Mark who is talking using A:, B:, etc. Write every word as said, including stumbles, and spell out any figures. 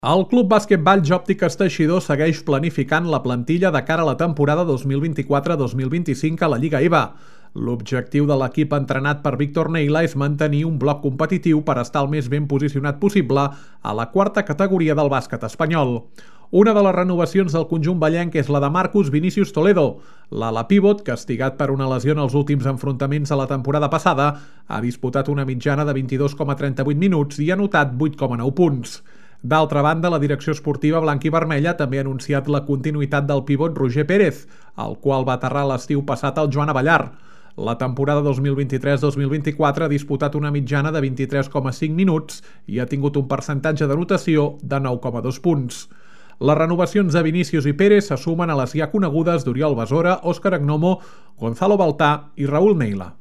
A: El Club Bàsquet Valls Òptiques Teixidor segueix planificant la plantilla de cara a la temporada dos mil vint-i-quatre dos mil vint-i-cinc a la Lliga E V A. L'objectiu de l'equip entrenat per Víctor Neila és mantenir un bloc competitiu per estar el més ben posicionat possible a la quarta categoria del bàsquet espanyol. Una de les renovacions del conjunt vallenc és la de Marcus Vinícius Toledo. L'ala pivot, castigat per una lesió en els últims enfrontaments de la temporada passada, ha disputat una mitjana de vint-i-dos coma trenta-vuit minuts i ha anotat vuit coma nou punts. D'altra banda, la direcció esportiva blanc-i-vermella també ha anunciat la continuïtat del pivot Roger Pérez, el qual va aterrar l'estiu passat al Joan Abellar. La temporada dos mil vint-i-tres dos mil vint-i-quatre ha disputat una mitjana de vint-i-tres coma cinc minuts i ha tingut un percentatge d'anotació de nou coma dos punts. Les renovacions de Vinícius i Pérez se sumen a les ja conegudes d'Oriol Besora, Òscar Agnomo, Gonzalo Baltà i Raúl Neila.